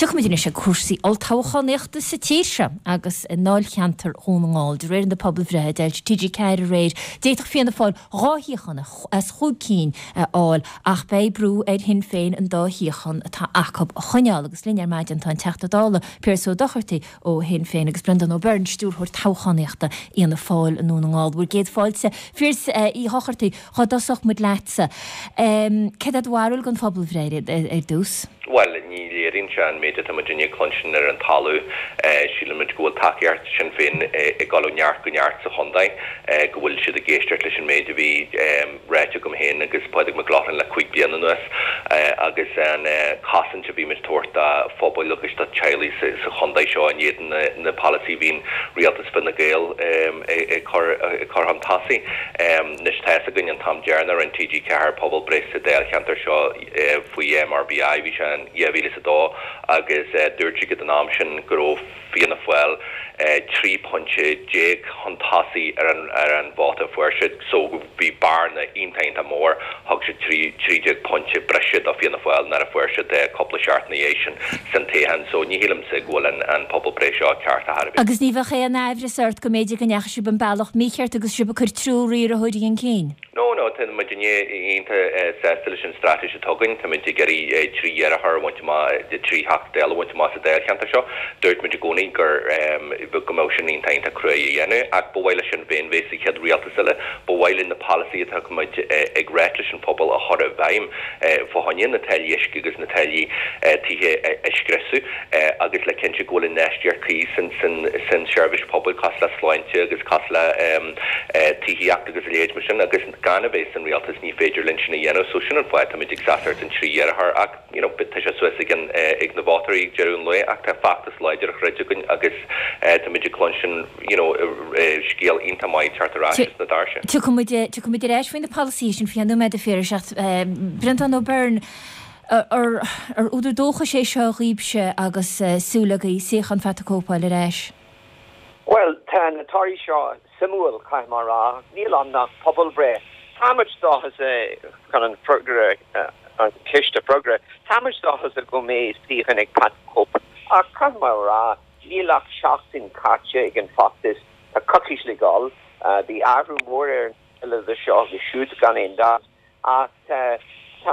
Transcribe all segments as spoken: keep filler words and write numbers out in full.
Tiocfaimid anois ag cúrsaí olltoghchánaíochta sa tír seo agus i ndáilcheantar Dhún na nGall. De réir na pobalbhreithe a d'fhoilsigh T G ceathair aréir, d'fhéadfadh Fianna Fáil dhá shuíochán as chúig cinn a fháil ach beidh brú ar Shinn Féin an dá shuíochán atá acu a choinneáil. Agus linn ar maidin tá an Teachta Dála Pearse Ó Dochartaigh ó Shinn Féin agus Breandán Ó Beirn, Stiúrthóir Toghchánaíochta Fhianna Fáil i nDún na nGall. Bhur gcéad fáilte, Phiarsaigh Uí Dhochartaigh, dhá dtosódh muid leatsa. Céard é do bharúil den phobalbhreith ar dtús? Bhuel, ní léiríonn sé an méid atá muidinne ag cluinstin ar an talamh. Sílimid go bhfuil tacaíocht Sinn Féin ag dul ó neart go neart sa chontae, go bhfuil siad ag éisteacht leis an méid a bhí ráite agam féin agus Pádraig Mac Lochlainn le cúig bliana anuas agus an chosaint a bhímid ag tabhairt do phobail agus do teaghlaigh sa chontae seo in éadan na polasaí a bhíonn rialtas Fine Gael ag cur chun tosaigh. Anois tá fhios againn an t-am deireanach a rinne T G ceathair pobalbhreith sa dáilcheantar seo, faoi M R B I, bhí sé in dhá mhíle is a dó agus dúirt siad an am sin go raibh Fianna Fáil trí phointe déag chun tosaigh ar an ar an vóta a fuair siad so bhí bearna iontach iontach mór, thug siad trí trí déag pointe breise do Fianna Fáil nuair a fuair siad cúpla seachtain ina dhiaidh sin san toghchán so ní shílimse go bhfuil an an pobalbhreith seo ceart ar chor ar bith. Agus ní bheadh aon aimhreas ort go mb'fhéidir go ndeachaigh sibh an bealach mícheart agus sibh ag cur triúr iarrthóirí chun cinn? No, no, tá muidinne iontach sásta leis an straitéis atá againn. Tá muid ag iarraidh trí iarrthóir a bhaint amach, trí Theachta Dála a bhaint amach sa dáilcheantar seo. Dúirt muid i gcónaí gur, go mbeadh sin iontach iontach cruaidh a dhéanamh ach ba mhaith le Sinn Féin bheith sa chéad rialtas eile. Ba mhaith linn na polasaithe atá muid ag ráit leis an phobal a chur i bhfeidhm fá choinne na táillí uisce agus na táillí tithe a scriosadh agus le cinntiú go bhfuil infheistíocht cuí san san seirbhís pobail cosúil le sláinte agus cosúil le tithíocht agus a leithéid mar sin agus gan a bheith san rialtas ní féidir linn sin a dhéanamh so sin an fáth táimid ag seasamh ar an trí iarrthóir ach you know tá sé suas ag an ag na vótóirí ag deireadh an lae ach tá feachtas láidir á throid againn agus táimid ag cluinstin you know scéal iontach maith teacht ar ais as na doirse. Tiocfaimid tiocfaimid ar ais faoi na polasaithe sin faoi cheann nóiméad a Phiarais ach Breandán Ó Beirn ar ar údar dóchais é seo dhaoibhse agus súil agaibh suíochán Phat the Cope a fháil ar ais? Bhuel, tá na torthaí seo suimiúil, caithfidh mé a rá. Níl ann ach pobalbhreith. Táimid dóchasach chun an freagra, an ceist a fhreagairt. Táimid dóchasach go mbeidh suíochán ag Pat the Cope. Ach caithfidh mé a rá, níl ach seachtain caite ag an bhfeachtas. Tá coicís le dhul. Bhí athrú mór ar an scéal idir seo agus siúd, gan aon dabht. Ach tá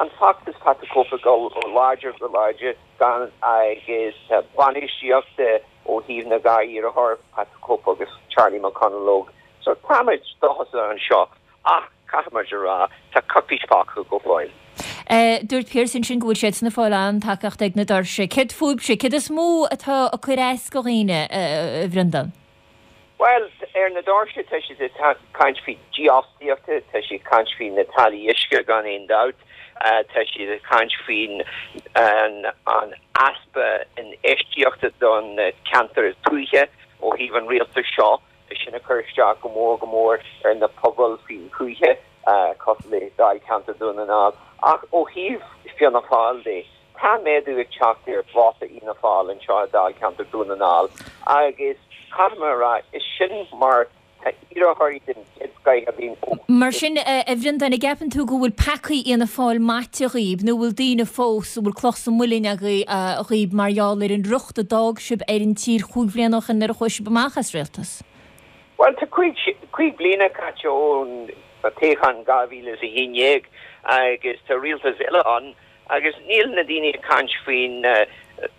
an feachtas Pat the Cope ag dul ó láidir go láidir gan agus tá bainistíocht ó thaobh na dhá iarrthóir, Pat the Cope agus Charlie McConalogue. So táimid dóchasach anseo ach caithfimid a rá tá coicís fágtha go fóill. Dúirt Pearse ansin go bhfuil siadsan ag fáil an-tacaíocht ag na doirse. Céard fúibhse? Céard is mó atá ag cur as do dhaoine, a Bhreandáin? Bhuel, ar na doirse tá siad ag caint faoi dífhostaíochta, tá siad ag caint faoi na táillí uisce gan aon dabht, tá siad ag caint faoin an easpa infheistíochta don ceantar tuaithe ó thaobh an rialtais seo, sin ag cur isteach go mór go mór ar na pobail faoin tuaithe cosúil le Dáilcheantar Dún na nGall. Ach ó thaobh Fianna Fáil de, Tá méadú ag teacht ar vóta Fhianna Fáil anseo i Dáilcheantar Dhún na nGall agus caithfidh mé a rá, is sin mar tá iarrthóirí den chéad scoith againn ó. Mar sin, a Bhreandáin, an gceapann tú go bhfuil peacaí Fhianna Fáil maite dhaoib nó bhfuil daoine fós a bhfuil cloch sa muileann agaibh mar gheall ar an riocht a d'fhág sibh ar an tír chúig bhliana ó shin nuair a chuaigh sibh amach as rialtas? Bhuel, tá cúig, cúig bliana caite ón toghchán dhá mhíle is a haon déag agus tá rialtas eile ann Agus níl na daoine ag caint faoin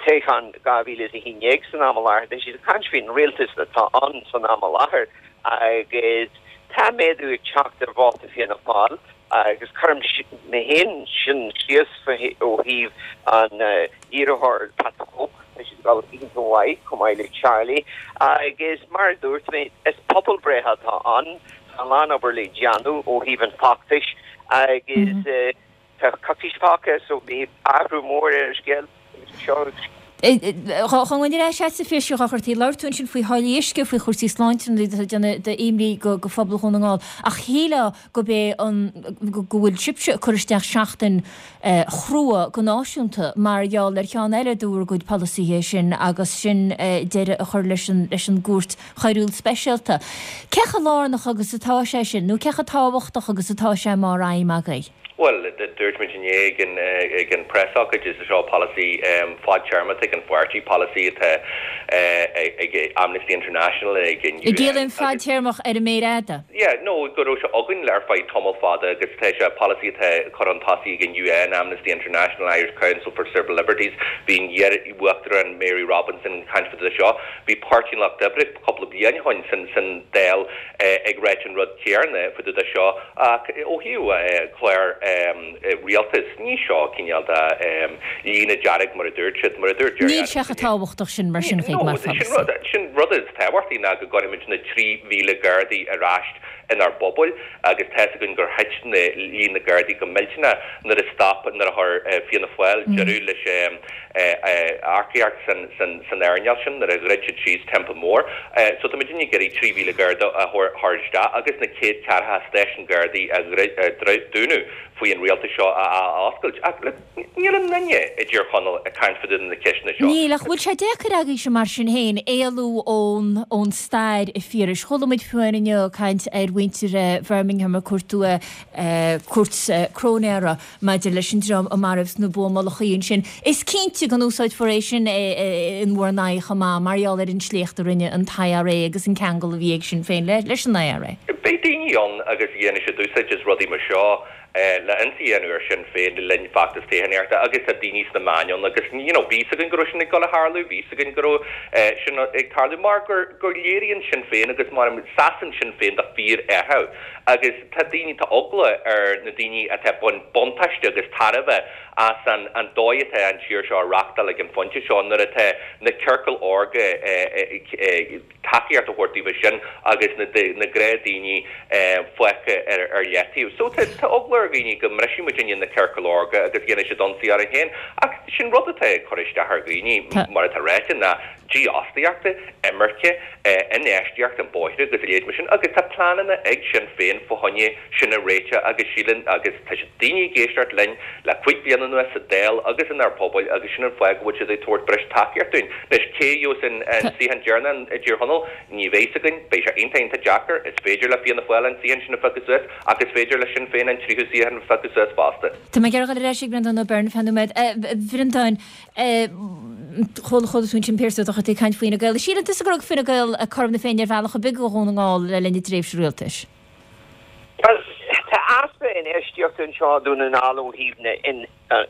toghchán dhá mhíle is a haon déag san am i láthair, tá siad ag caint faoin rialtas atá ann san am i láthair agus tá méadú ag teacht ar vóta Fianna Fáil agus cuirim mé féin sin síos ó thaobh an iarrthóir Pat the Cope, tá siad ag dul iontach mhaith chomh maith le Charlie agus mar a dúirt mé is pobalbhreith atá ann, tá a lán obair le déanamh ó thaobh an feachtais agus. Tá coicís fágtha so beidh athrú mór ar an scéal seo. Dá ngabhfainn ar ais agatsa a Phiarsaigh Uí Dhochartaigh, labhair tú ansin faoi tháillí uisce, faoi chúrsaí sláinte na rudaí atá ag déanamh d'imní go phobal Dhún na nGall. Ach shílfeá go b'é an go bhfuil sibhse ag cur isteach seachtain chrua go náisiúnta mar gheall ar cheann eile de bhur gcuid polasaithe sin agus sin deireadh a chur leis an leis an gCúirt Choiriúil Speisialta. Cé chomh lárnach agus atá sé sin nó cé chomh tábhachtach agus atá sé mar aidhm agaibh? Bhuel, dúirt muid inné ag an ag an preasócáid, is é seo polasaí fadtéarmach ag an pháirtí, polasaí atá ag Amnesty International, ag an U N. An gciallaíonn fadtéarmach ar an méar fhada? Yeah, no, go raibh sé againn ar feadh tamall fada agus tá sé polasaí atá curtha chun tosaigh ag an U N, Amnesty International, Irish Council for Civil Liberties, bhí an iar-uachtarán Mary Robinson ag caint fá dtaobh de seo, bhí Páirtí an Lucht Oibre cúpla bliain ó shin san Dáil ag ráit an rud céanna fá dtaobh de seo ach ó thaobh clár rialtais, ní seo cineál de líne dearg mar a dúirt siad, mar a dúirt Gerry Níl sé chomh tábhachtach sin mar sin chuig mar pholasaí. Sin rud is tábhachtaí ná go gcuirfimid na trí mhíle Gardaí ar ais inár bpobail agus tá's againn gur thit na líon na Gardaí go millteanach nuair a stop, nuair a chuir Fianna Fáil deireadh leis earcaíocht san earnáil sin, nuair a dhruid siad síos Teampall Mór. So tá muid ag iarraidh trí mhíle Garda a thabhairt isteach agus na céad ceathracha stáisiún Gardaí a dúnadh faoi an rialtas seo a athoscailt. Ach look, níl aon duine i dTír Chonaill ag caint fá dtaobh de na ceisteanna seo. Níl, ach bhfuil sé deacair agaibhse mar sin féin éalú ón ón stair, a Phiarais? Chuala muid fiú amháin inniu caint ar mhuintir Bhirmingham ag cuartú cúirt cróinéara maidir leis an dream a maraíodh sna buamálachaí ansin. Is cinnte go n-úsáidfear é sin in bhur n-aghaidh chomh maith mar gheall ar an sléacht a rinne an t-I R A agus an ceangal a bhí ag Sinn Féin leis an I R A. Beidh daoine ann agus dhéanfaidh siad úsáid as rudaí mar seo le ionsaí a dhéanamh ar Sinn Féin le linn feachtas toghchánaíochta agus tá daoine sna meáin ann agus you know bhí 'fhios againn go raibh sin ag dul a tharlú, bhí 'fhios againn go raibh sin ag tarlú mar gur gur léiríonn Sinn Féin agus mar seasann Sinn Féin do fíor-athrú agus tá daoine, tá eagla ar na daoine atá ag baint buntáiste agus tairbhe as an an dóigh atá an tír seo á reachtáil ag an phointe seo nuair atá na ciorcail órga ag tacaíocht a thabhairt daofa sin agus na na gnáthdhaoine fágtha ar ar leataobh. So tá tá eagla ar dhaoine go mbrisfidh muidinne na ciorcail órga agus dhéanfaidh siad ionsaí orainn féin. Ach sin rud atá ag cur isteach ar dhaoine mar atá ráite ná dífhostaíocht, imirce, infheistíocht i mbóithre agus a leithéid mar sin agus tá pleananna ag Sinn Féin fá choinne sin a réiteach agus síleann agus tá siad daoine ag éisteacht linn le cúig bliana anuas sa Dáil agus inár bpobail agus sin an fáth go bhfuil siad ag tabhairt breis tacaíocht dúinn. Anois cé a gheobhas an suíochán deireanach i dTír Chonaill? Ní bheidh 'fhios againn. Beidh sé iontach iontach deacair. Is féidir le Fianna Fáil an suíochán sin a phiocadh suas ach is féidir le Sinn Féin an tríú suíochán a phiocadh suas fosta. Tá mé ag iarraidh dul ar ais ag Breandán Ó Beirn ar feadh nóiméad. A Bhreandáin, chuala chuala tú ansin Pearse Ó Dochartaigh ag caint faoi Fhine Gael. Síleann tusa gur thug Fine Gael cothrom na Féinne ar bhealach ar bith do Dhún na nGall le linn a dtréimhse rialtais? Bhuel, tá easpa infheistíochta anseo i Dún na nGall ó thaobh na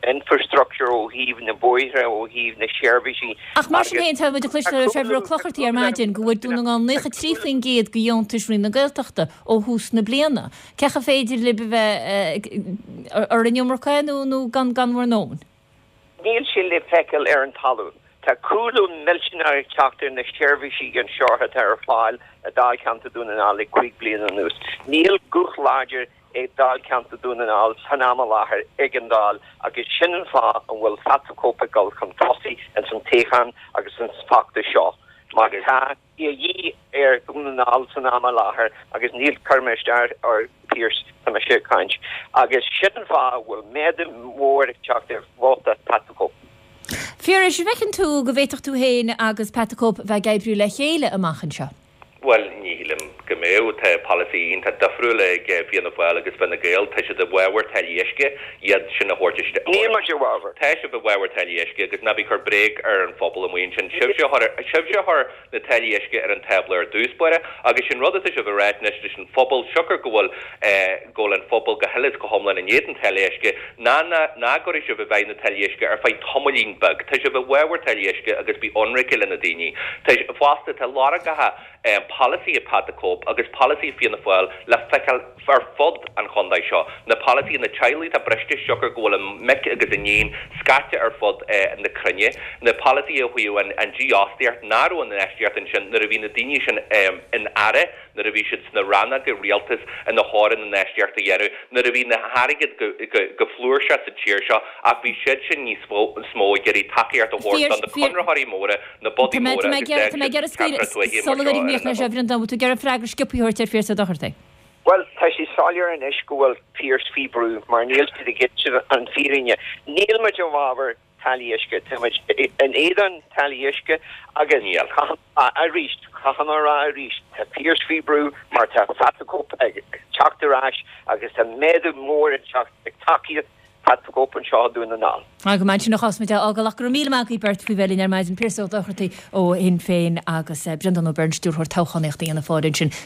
infrastructure, ó thaobh na bóithre, ó thaobh na seirbhísí Ach mar sin agus féin, tá muid ag tá cloisteáil ó Trevor cúlú Ó Clochartaigh ar tá cúlú maidin go bhfuair Dún na nGall naocha trí faoin gcéad de dheontais Roinn na Gaeltachta ó thús na bliana. Cé chomh féidir libh a bheith ar an iomarca nó nó gan gan bhur ndóthain? Níl sé le feiceáil ar an talamh. Tá cúlú millteanach ag teacht ar na seirbhísí anseo atá ar fáil i Dáilcheantar Dún na nGall le cúig bliana anuas. Níl guth láidir ag Dáilcheantar Dún na nGall san am i láthair ag an Dáil agus sin an fáth an bhfuil Pat the Cope ag dul chun tosaigh ins an toghchán agus ins an feachtas seo. Mar tá de dhíth ar Dhún na nGall san am i láthair agus níl cuir mé isteach ar Pearse, tá mise ag caint. Agus sin an fáth a bhfuil méadú mór ag teacht ar vóta Pat the Cope. Phiarais, an bhfeiceann tú go bhféadfadh tú féin agus Pat the Cope bheith ag oibriú le chéile amach anseo? Bhuel, ní shílim go mbeadh. Tá polasaí iontach difriúil ag Fianna Fáil agus Fine Gael. Tá siad i bhfabhar táillí uisce, iad sin a thabhairt isteach. Níl muid i bhfabhar. Tá sibh i bhfabhar táillí uisce agus ná bí ag cur bréag ar an phobal amuigh ansin. Sibhse a chuir, sibhse a chuir na táillí uisce ar an tábla ar dtús báire agus sin rud atá sibh a ráit anois leis an phobal, siocair go bhfuil, go bhfuil an phobal go huile is go hiomlán in éadan táillí uisce, ná ná ná gcuirfidh sibh i bhfeidhm na táillí uisce ar feadh tamaillín beag. Tá sibh i bhfabhar táillí uisce agus bí ionraice le na daoine. Tá, fosta, tá lorgacha polasaithe Pat the Cope agus polasaithe Fianna Fáil le feiceáil ar fud an chontae seo. Na polasaithe, na teaghlaigh atá briste siocair go bhfuil a mic agus a iníon scaite ar fud na cruinne, na polasaithe ó thaobh an dífhostaíocht, nach raibh an infheistíocht ansin nuair a bhí na daoine sin in aire, nuair a bhí siad sna rannóga rialtais ina chóir an infheistíocht a dhéanamh, nuair a bhí na hairgead go flúirseach sa tír seo ach bhí siad sin níos mó ag iarraidh tacaíocht a thabhairt do na conraitheoirí móra na bodaí Tá mé móra tá mé agus ag iarraidh d'fhág tá mé ag siad iarraidh scaoileadh ceantar tuaithe mar sula seo gcuirfidh ar mé an leis a imeall. Bhreandáin, bhfuil tú ag iarraidh freagra sciobtha a thabhairt ar Phearse Ó Dochartaigh? Bhuel, tá sé soiléir anois go bhfuil Pearse faoi brú mar níl siad ag inse an fírinne. Níl muid i bhfabhar táillí uisce tá muid in éadan táillí uisce agus arís caithfidh mé a rá arís tá Pearse faoi brú mar tá Pat Cope ag teacht ar ais agus tá méadú mór ag teacht ag tacaíocht Pat the Cope anseo i nDún na nGall. Go maith sin a chás muid a fhágáil ach go raibh míle maith agaibh beirt faoi bheith linn ar maidin Pearse Ó Dochartaigh ó Shinn Féin agus Breandán Ó Beirn, Stiúrthóir Toghchánaíochta Fhianna Fáil ansin.